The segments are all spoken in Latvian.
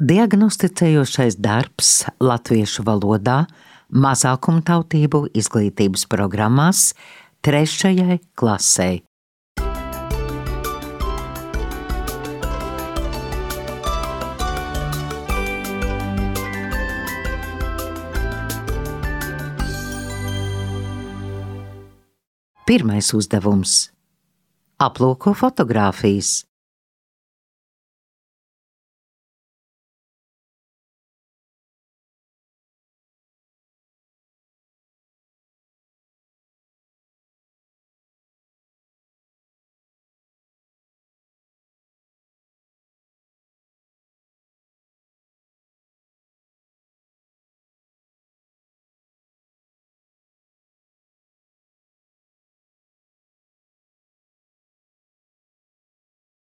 Diagnosticējošais darbs latviešu valodā mazākumtautību izglītības programmās 3. klasei. Pirmais uzdevums. Aplūko fotogrāfijas.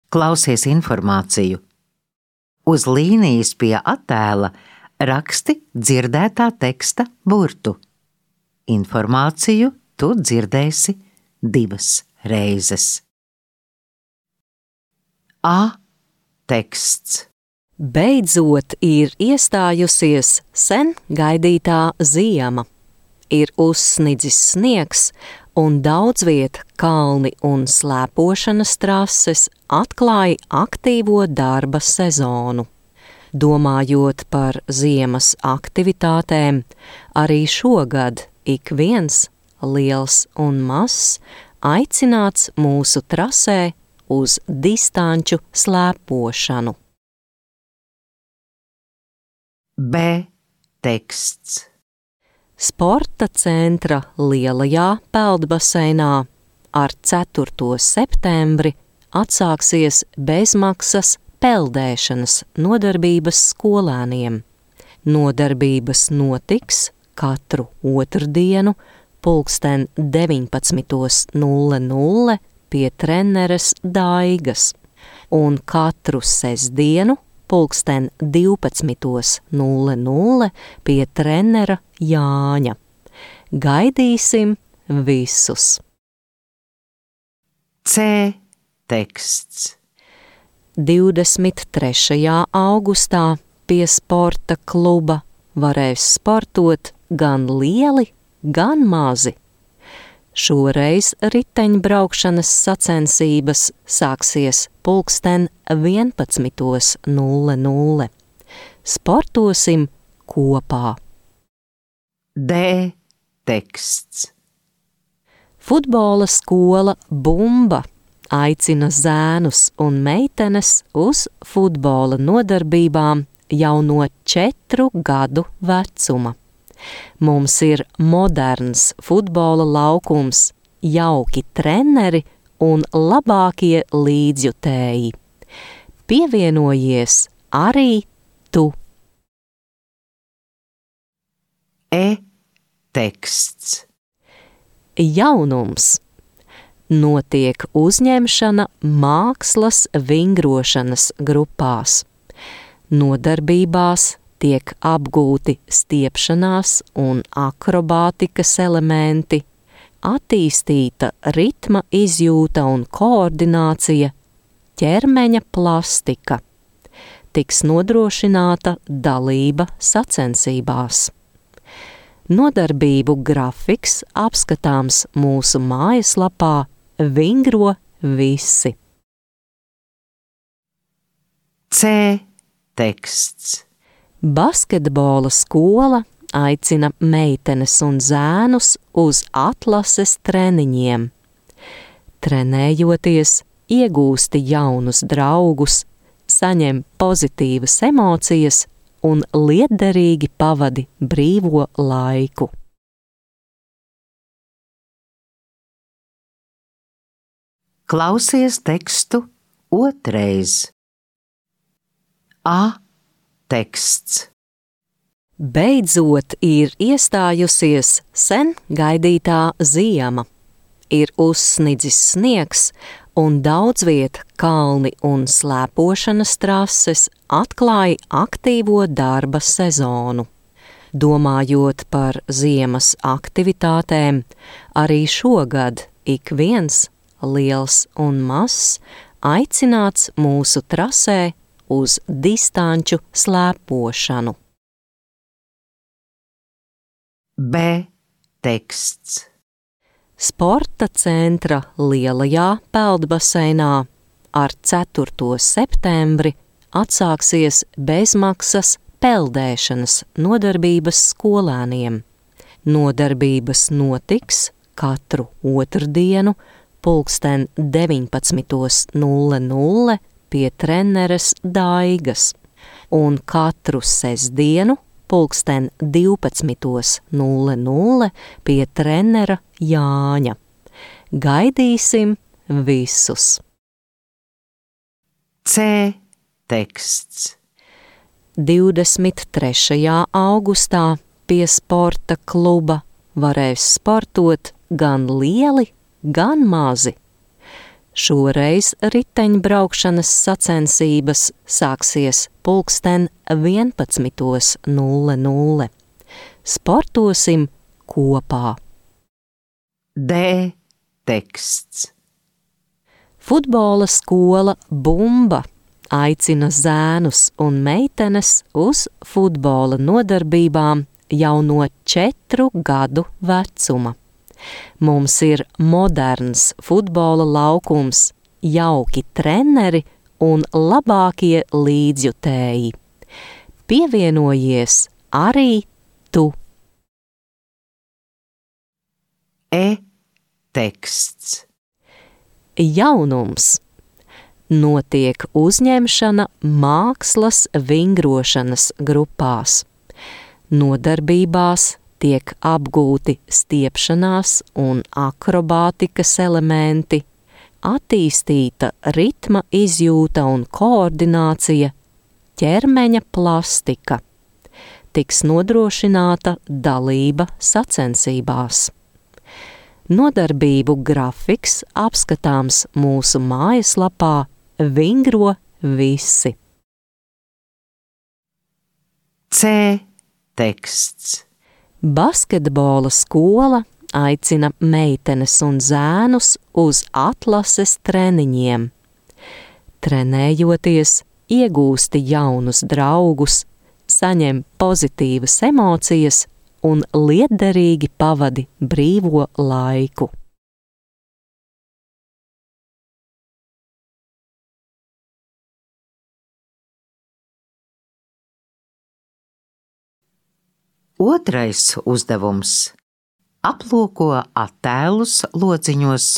Klausies informāciju. Uz līnijas pie attēla raksti dzirdētā teksta burtu. Informāciju tu dzirdēsi 2 reizes. A. Teksts. Beidzot ir iestājusies sen gaidītā ziema. Ir uzsnidzis sniegs, un daudz viet kalni un slēpošanas trases atklāja aktīvo darba sezonu. Domājot par ziemas aktivitātēm, arī šogad ik viens, liels un mazs, aicināts mūsu trasē uz distanču slēpošanu. B. Teksts. Sporta centra lielajā peldbaseinā ar 4. septembri atsāksies bezmaksas peldēšanas nodarbības skolēniem. Nodarbības notiks katru otrdienu 19:00 pie treneres Daigas un katru sestdienu 12:00 pie trenera Jāņa. Gaidīsim visus! C. Teksts. 23. augustā pie sporta kluba varēs sportot gan lieli, gan mazi. Šoreiz riteņbraukšanas sacensības sāksies 11:00. Sportosim kopā. D. Teksts. Futbola skola Bumba aicina zēnus un meitenes uz futbola nodarbībām jau no 4 gadu vecuma. Mums ir moderns futbola laukums, jauki treneri un labākie līdzjutēji. Pievienojies arī tu! E. Teksts. Jaunums. Notiek uzņemšana mākslas vingrošanas grupās. Nodarbībās tiek apgūti stiepšanās un akrobātikas elementi, attīstīta ritma izjūta un koordinācija, ķermeņa plastika. Tiks nodrošināta dalība sacensībās. Nodarbību grafiks apskatāms mūsu mājaslapā Vingro visi. C. Teksts. Basketbola skola aicina meitenes un zēnus uz atlases treniņiem. Trenējoties, iegūsti jaunus draugus, saņem pozitīvas emocijas un lietderīgi pavadi brīvo laiku. Klausies tekstu otrais. A. Teksts. Beidzot ir iestājusies sen gaidītā ziema. Ir uzsnidzis sniegs, un daudz viet kalni un slēpošanas trases atklāja aktīvo darba sezonu. Domājot par ziemas aktivitātēm, arī šogad ik viens, liels un mazs, aicināts mūsu trasē uz distanču slēpošanu. B teksts. Sporta centra lielajā peldbaseinā ar 4. septembri atsāksies bezmaksas peldēšanas nodarbības skolēniem. Nodarbības notiks katru otrdienu 19:00 pie treneres Daigas un katru sestdienu 12:00 pie trenera Jāņa. Gaidīsim visus! C teksts. 23. augustā pie sporta kluba varēs sportot gan lieli, gan mazi. Šoreiz riteņbraukšanas sacensības sāksies 11:00. Sportosim kopā! D teksts. Futbola skola Bumba aicina zēnus un meitenes uz futbola nodarbībām jau no 4 gadu vecuma. Mums ir moderns futbola laukums, jauki treneri un labākie līdzjutēji. Pievienojies arī tu! E teksts. Jaunums. Notiek uzņemšana mākslas vingrošanas grupās. Nodarbībās tiek apgūti stiepšanās un akrobātikas elementi, attīstīta ritma izjūta un koordinācija, ķermeņa plastika. Tiks nodrošināta dalība sacensībās. Nodarbību grafiks apskatāms mūsu mājaslapā Vingro visi. C teksts. Basketbola skola aicina meitenes un zēnus uz atlases treniņiem. Trenējoties, iegūsti jaunus draugus, saņem pozitīvas emocijas un lietderīgi pavadi brīvo laiku. Otrais uzdevums. Aplūko attēlus lodziņos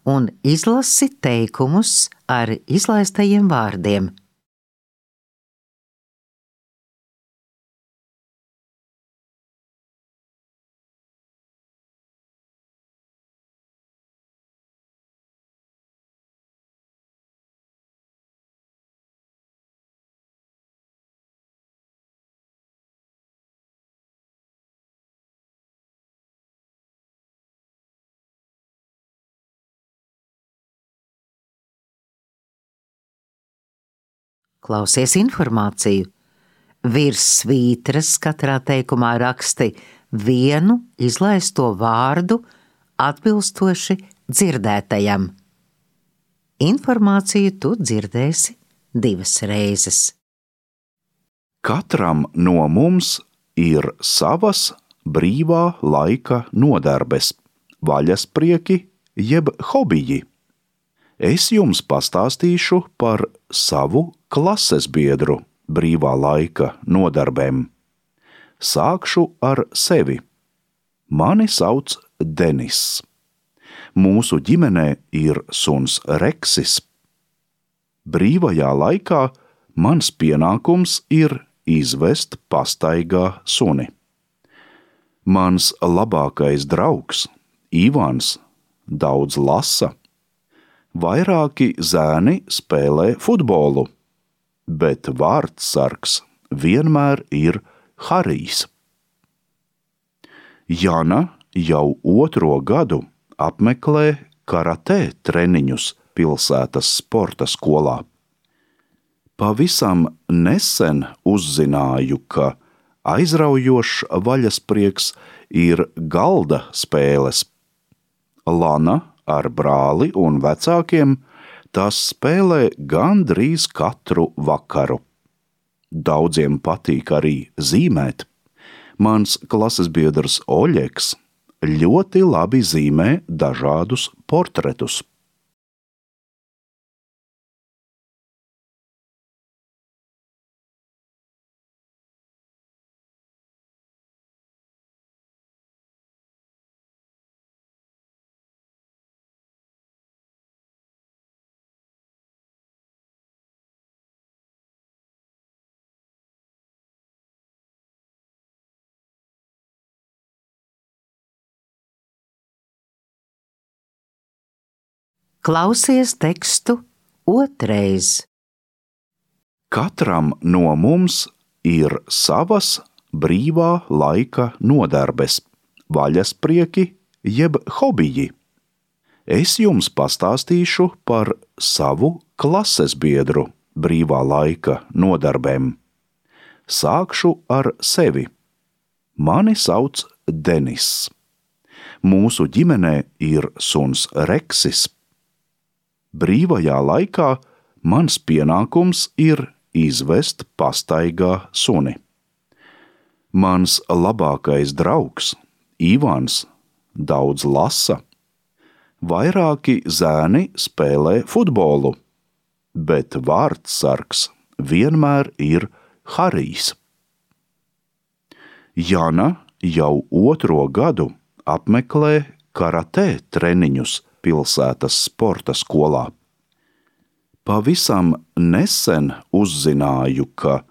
un izlasi teikumus ar izlaistajiem vārdiem. Klausies informāciju. Virs svītras katrā teikumā raksti vienu izlaisto vārdu atbilstoši dzirdētajam. Informāciju tu dzirdēsi 2 reizes. Katram no mums ir savas brīvā laika nodarbes, vaļasprieki jeb hobiji. Es jums pastāstīšu par savu klases biedru brīvā laika nodarbēm. Sākšu ar sevi. Mani sauc Denis. Mūsu ģimenē ir suns Reksis. Brīvajā laikā mans pienākums ir izvest pastaigā suni. Mans labākais draugs, Ivans, daudz lasa. Vairāki zēni spēlē futbolu, bet vārdsargs vienmēr ir Harijs. Jana jau 2. gadu apmeklē karatē treniņus pilsētas sporta skolā. Pavisam nesen uzzināju, ka aizraujošs vaļasprieks ir galda spēles. Lana ar brāli un vecākiem tās spēlē gandrīz katru vakaru. Daudziem patīk arī zīmēt. Mans klases biedrs Oļeks ļoti labi zīmē dažādus portretus. Klausies tekstu otrais. Katram no mums ir savas brīvā laika nodarbes, vaļasprieki jeb hobiji. Es jums pastāstīšu par savu klases biedru brīvā laika nodarbēm. Sākšu ar sevi. Mani sauc Denis. Mūsu ģimenē ir suns Reksis. Brīvajā laikā mans pienākums ir izvest pastaigā suni. Mans labākais draugs, Ivans, daudz lasa. Vairāki zēni spēlē futbolu, bet vārdsargs vienmēr ir Harijs. Jana jau 2. gadu apmeklē karatē treniņus pilsētas sporta skolā. Pavisam nesen uzzināju, ka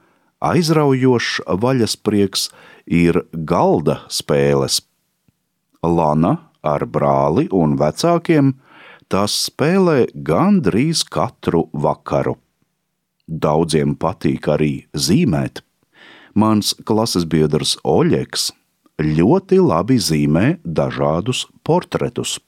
aizraujošs vaļasprieks ir galda spēles. Lana ar brāli un vecākiem tās spēlē gandrīz katru vakaru. Daudziem patīk arī zīmēt. Mans klases biedrs Oļeks ļoti labi zīmē dažādus portretus.